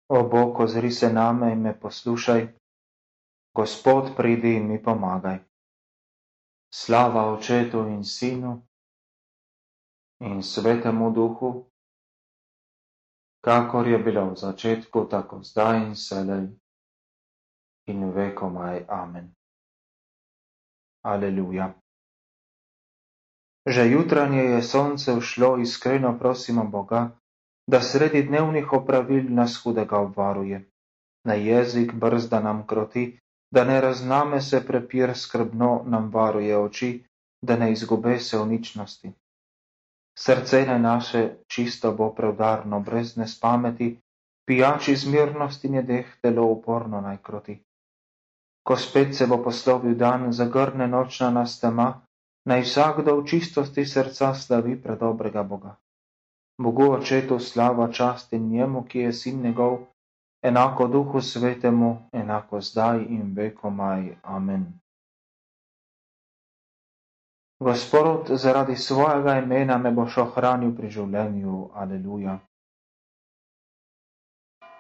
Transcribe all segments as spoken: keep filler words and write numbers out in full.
O Bog, ozri se name in me poslušaj, Gospod, pridi in mi pomagaj. Slava Očetu in Sinu in Svetemu Duhu, kakor je bilo v začetku, tako zdaj in vselej in vekomaj. Amen. Aleluja. Že jutranje je sonce vzšlo, iskreno prosimo Boga, da sredi dnevnih opravil nas hudega obvaruje. Na jezik brzda nam kroti, da ne razname se prepir, skrbno nam varuje oči, da ne izgube se v ničnosti. Srce naj naše čisto bo preudarno, brez nespameti, pijači zmirnosti njedeh telo uporno naj kroti. Ko spet se bo poslovil dan, zagrne nočna nas tema, naj vsakdo v čistosti srca slavi predobrega Boga. Bogu Očetu slava, čast in njemu, ki je sin njegov, enako Duhu Svetemu, enako zdaj in vekomaj. Amen. Gospod, zaradi svojega imena me boš ohranil pri življenju. Aleluja.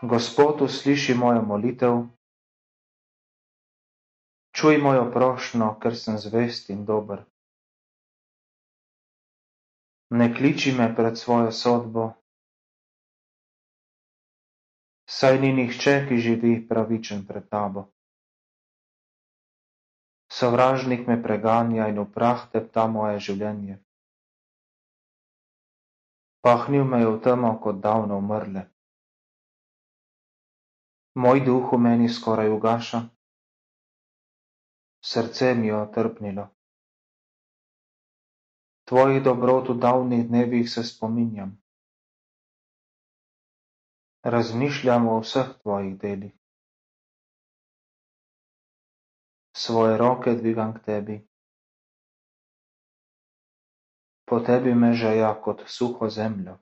Gospod, usliši mojo molitev, čuj mojo prošnjo, ker sem zvest in dober. Ne kliči me pred svojo sodbo, saj ni nihče, ki živi pravičen pred tabo. Sovražnik me preganja in v prah tepta moje življenje. Pahnil me je v temo kot davno umrle. Moj duh v meni skoraj ugaša, srce mi je otrpnilo. Tvojih dobrot v davnih dnevih se spominjam. Razmišljam o vseh tvojih delih. Svoje roke dvigam k tebi. Po tebi me žeja kot suho zemljo.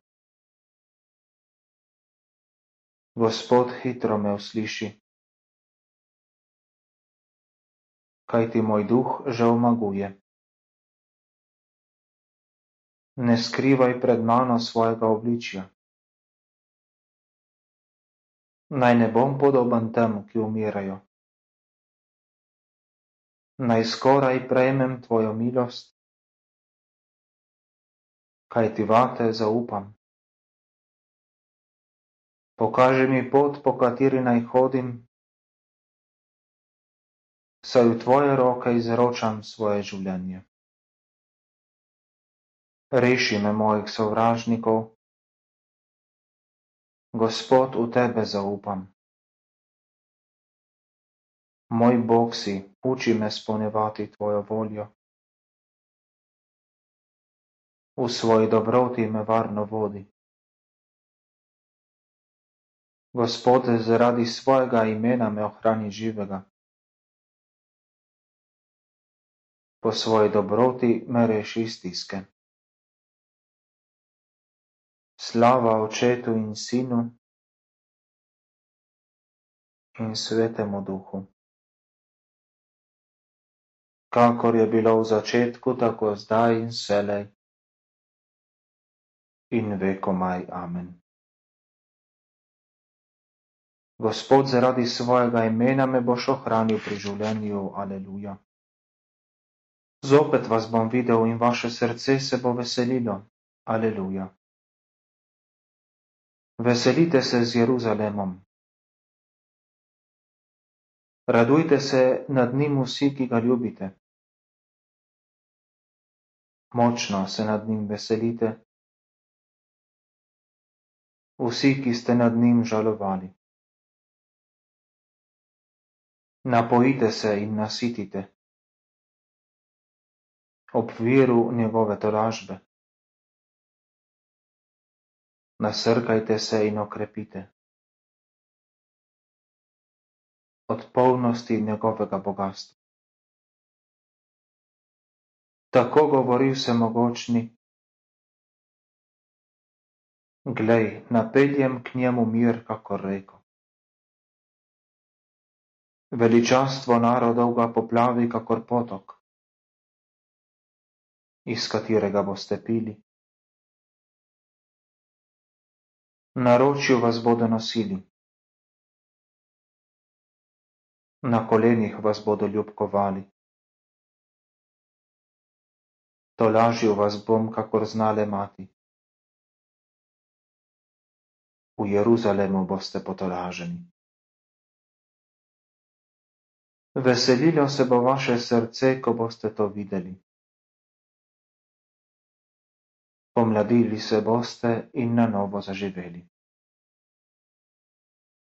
Gospod, hitro me usliši, kajti moj duh že omaguje. Ne skrivaj pred mano svojega obličja. Naj ne bom podoben tem, ki umirajo. Naj skoraj prejmem tvojo milost, kajti vate zaupam. Pokaži mi pot, po kateri naj hodim, saj v tvoje roke izročam svoje življenje. Reši me mojih sovražnikov, Gospod, v tebe zaupam. Moj Bog si, uči me spolnjevati tvojo voljo. V svoji dobroti me varno vodi. Gospod, zaradi svojega imena me ohrani živega. Po svoji dobroti me reši iz stiske. Slava Očetu in Sinu in Svetemu Duhu. Kakor je bilo v začetku, tako zdaj in vselej in vekomaj. Amen. Gospod, zaradi svojega imena me boš ohranil pri življenju. Aleluja. Zopet vas bom videl in vaše srce se bo veselilo. Aleluja. Veselite se z Jeruzalemom. Radujte se nad njim vsi, ki ga ljubite. Močno se nad njim veselite, vsi, ki ste nad njim žalovali. Napojite se in nasitite ob viru njegove tolažbe. Nasrkajte se in okrepite od polnosti njegovega bogastva. Tako govori vsemogočni: glej, napeljem k njemu mir kakor reko. Veličastvo narodov ga poplavi kakor potok, iz katerega boste pili. Naročju vas bodo nosili, Na kolenih vas bodo ljubkovali. Tolažil vas bom, kakor znale mati. V Jeruzalemu boste potolaženi. Veselilo se bo vaše srce, ko boste to videli. Pomladili se boste in na novo zaživeli.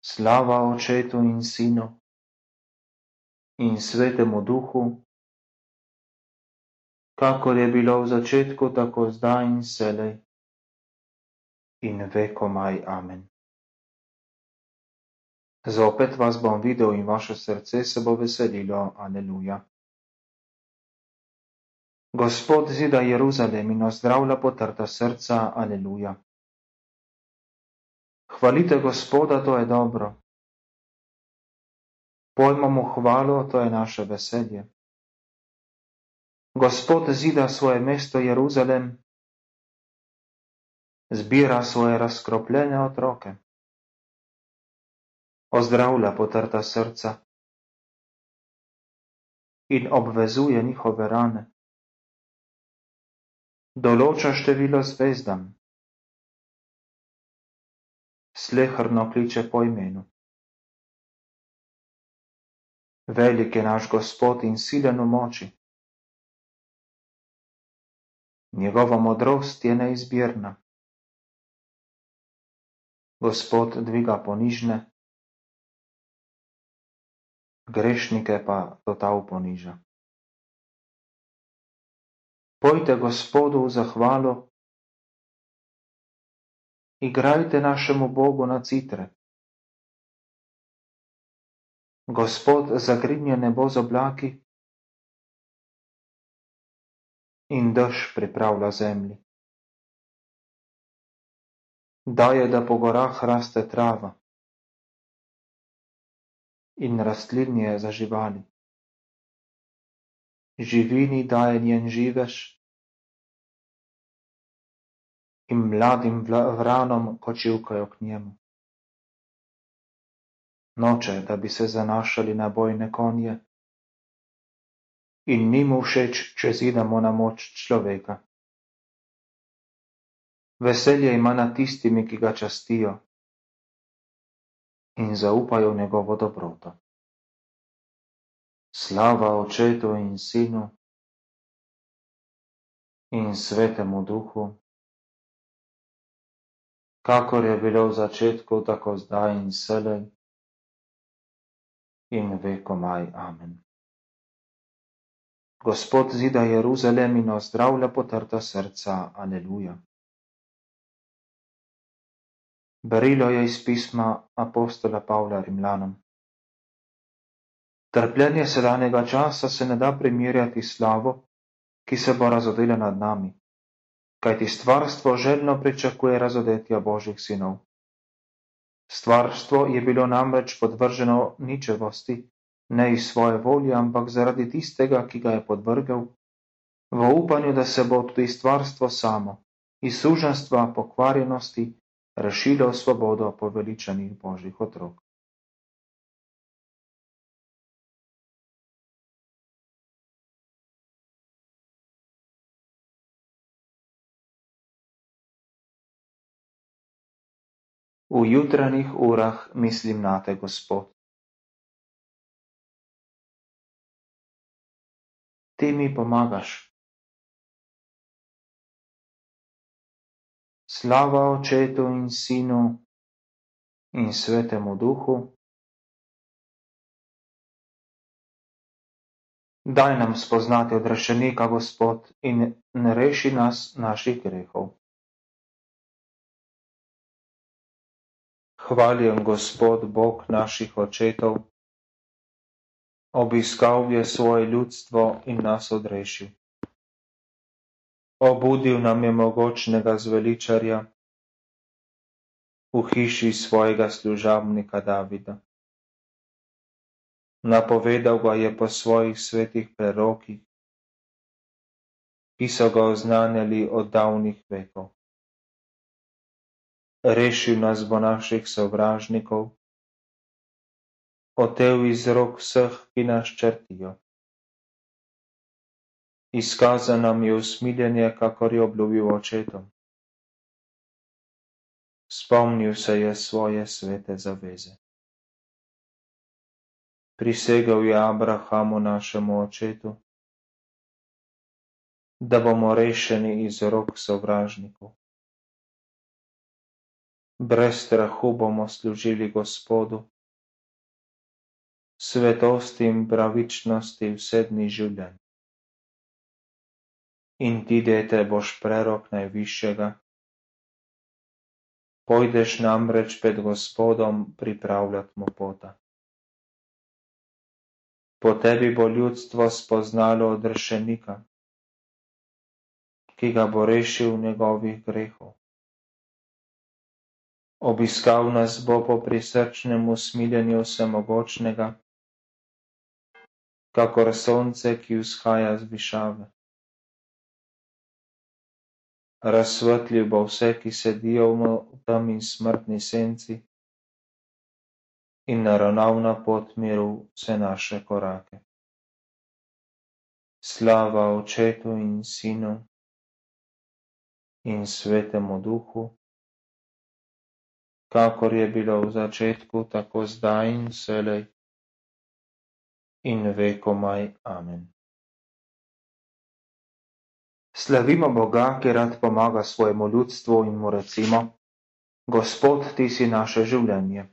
Slava Očetu in Sinu in Svetemu Duhu, kakor je bilo v začetku, tako zdaj in vselej in vekomaj. Amen. Zopet vas bom videl in vaše srce se bo veselilo. Aleluja. Gospod zida Jeruzalem in ozdravlja potrta srca. Aleluja. Hvalite Gospoda, to je dobro. Pojmo mu hvalo, to je naše veselje. Gospod zida svoje mesto Jeruzalem, zbira svoje razkropljene otroke. Ozdravlja potrta srca in obvezuje njihove rane. Določa število zvezdam. Sleherno kliče po imenu. Velik je naš Gospod in silen v moči. Njegova modrost je neizbirna. Gospod dviga ponižne, grešnike pa total poniža. Pojte Gospodu v zahvalo, igrajte našemu Bogu na citre. Gospod zagrinja nebo z oblaki in dež pripravlja zemlji. Daje, da po gorah raste trava in rastlinje za živali. Živini daje njen živež in mladim vranom, ko čivkajo k njemu. Noče, da bi se zanašali na bojne konje in ni mu všeč, če zidamo na moč človeka. Veselje ima nad tistimi, ki ga častijo in zaupajo v njegovo dobroto. Slava Očetu in Sinu in Svetemu Duhu, kakor je bilo v začetku, tako zdaj in vselej in vekomaj. Amen. Gospod zida Jeruzalem in ozdravlja potrta srca. Aleluja. Berilo je iz pisma apostola Pavla Rimljanom. Trpljenje sedanjega časa se ne da primerjati s slavo, ki se bo razodela nad nami, kajti stvarstvo željno pričakuje razodetja Božjih sinov. Stvarstvo je bilo namreč podvrženo ničevosti, ne iz svoje volje, ampak zaradi tistega, ki ga je podvrgel, v upanju, da se bo tudi stvarstvo samo, iz suženjstva pokvarjenosti, rešilo v svobodo poveličanih Božjih otrok. V jutranjih urah mislim nate, Gospod. Ti mi pomagaš. Slava Očetu in Sinu in Svetemu Duhu. Daj nam spoznati odrešenika, Gospod, in ne reši nas naših grehov. Hvaljen Gospod, Bog naših očetov, obiskal je svoje ljudstvo in nas odrešil. Obudil nam je mogočnega zveličarja v hiši svojega služabnika Davida. Napovedal ga je po svojih svetih prerokih, ki so ga oznanjali od davnih vekov. Rešil nas bo naših sovražnikov, otev iz rok vseh, ki nas črtijo. Izkazal nam je usmiljenje, kakor je obljubil očetom. Spomnil se je svoje svete zaveze. Prisegel je Abrahamu, našemu očetu, da bomo rešeni iz rok sovražnikov. Brez strahu bomo služili Gospodu, svetosti in pravičnosti vse dni življenja. In ti, dete, boš prerok Najvišjega, pojdeš namreč pred Gospodom pripravljat mu pota. Po tebi bo ljudstvo spoznalo odrešenika, ki ga bo rešil njegovih grehov. Obiskal nas bo po prisrčnem usmiljenju vsemogočnega, kakor sonce, ki vzhaja z višave. Razsvetlil bo vse, ki sedijo v temi smrtni senci, in naravnal na pot miru vse naše korake. Slava Očetu in Sinu in Svetemu Duhu, kakor je bilo v začetku, tako zdaj in vselej in vekomaj. Amen. Slavimo Boga, ki rad pomaga svojemu ljudstvu, in mu recimo: Gospod, ti si naše življenje.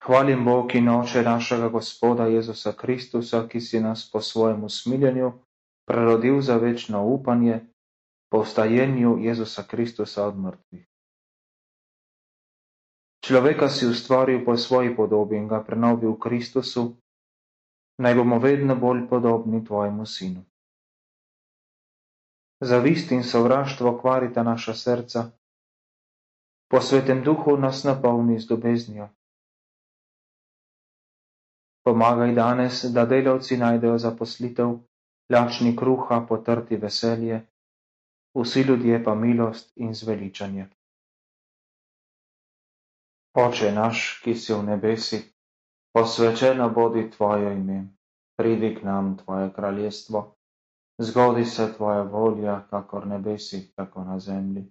Hvalim Bog in Oče našega Gospoda Jezusa Kristusa, ki si nas po svojem usmiljenju prerodil za večno upanje po vstajenju Jezusa Kristusa od mrtvih. Človeka si ustvaril po svoji podobi in ga prenovil v Kristusu, naj bomo vedno bolj podobni tvojemu sinu. Zavist in sovraštvo kvarita naša srca, po Svetem Duhu nas napolni z ljubeznijo. Pomagaj danes, da delavci najdejo zaposlitev, lačni kruha potrti veselje, vsi ljudje pa milost in zveličanje. Oče naš, ki si v nebesi, posvečeno bodi tvoje ime, pridi k nam tvoje kraljestvo, zgodi se tvoja volja, kakor nebesi, tako na zemlji.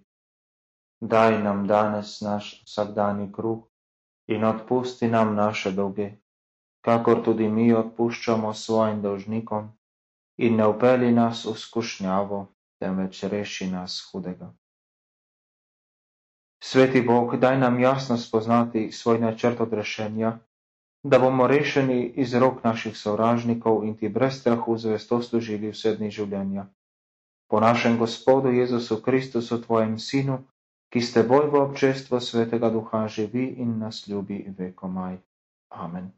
Daj nam danes naš vsakdanji kruh in odpusti nam naše dolge, kakor tudi mi odpuščamo svojim dolžnikom, in ne vpelji nas v skušnjavo, temveč reši nas hudega. Sveti Bog, daj nam jasno spoznati svoj načrt odrešenja, da bomo rešeni iz rok naših sovražnikov in ti brez strahu zvesto služili vse dni življenja. Po našem Gospodu Jezusu Kristusu, tvojem Sinu, ki s teboj v občestvu Svetega Duha živi in nas ljubi vekomaj. Amen.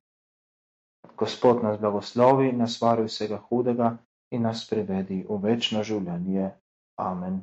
Gospod nas blagoslovi, nas vari vsega hudega in nas privedi v večno življenje. Amen.